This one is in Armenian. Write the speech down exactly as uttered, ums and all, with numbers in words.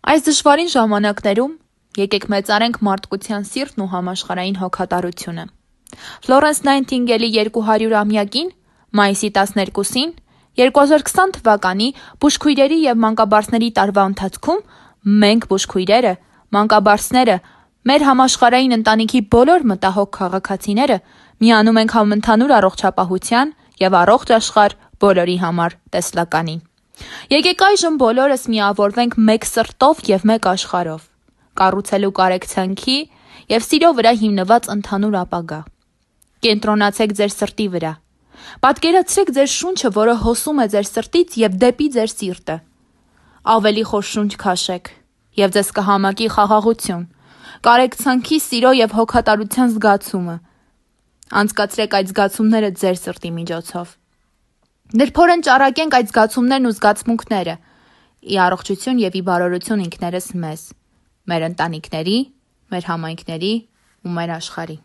Այս դժվարին ժամանակներում եկեք մեծարենք մարդկության սիրտն ու համաշխարհային հոգատարությունը։ Ֆլորենս Նայթինգելի երկու հարյուրամյակին, մայիսի տասներկուսին, երկու հազար քսան թվականի բուժքույրերի և մանկաբարձների տարվա ընթացքում մենք բուժքույրերը, մանկաբարձները, մեր համաշխարհային ընտանիքի բոլոր մտահոգ քաղաքացիները միանում ենք համընդհանուր առողջապահության և առողջ աշխարհ բոլորի համար տեսլականի։ Եկեք այժմ բոլորս միավորվենք մեկ սրտով և մեկ աշխարհով, կառուցելու կարեկցանքի և սիրո վրա հիմնված ընդհանուր ապագա։ Կենտրոնացեք ձեր սրտի վրա։ Պատկերացրեք ձեր շունչը, որը հոսում է ձեր սրտից և դեպի ձեր սիրտը։ Ավելի խոր շունչ քաշեք, և ձեզ կհամակի խաղաղություն, կարեկցանքի, սիրո և հոգատարության զգացումը։ Անցկացրեք այդ զգացումները ձեր սրտի միջոցով։ Նրբորեն ճառագենք այդ զգացումներն ու զգացմունքները ի առողջություն և ի բարօրություն ինքներս մեզ, մեր ընտանիքների, մեր համայնքների ու մեր աշխարհի։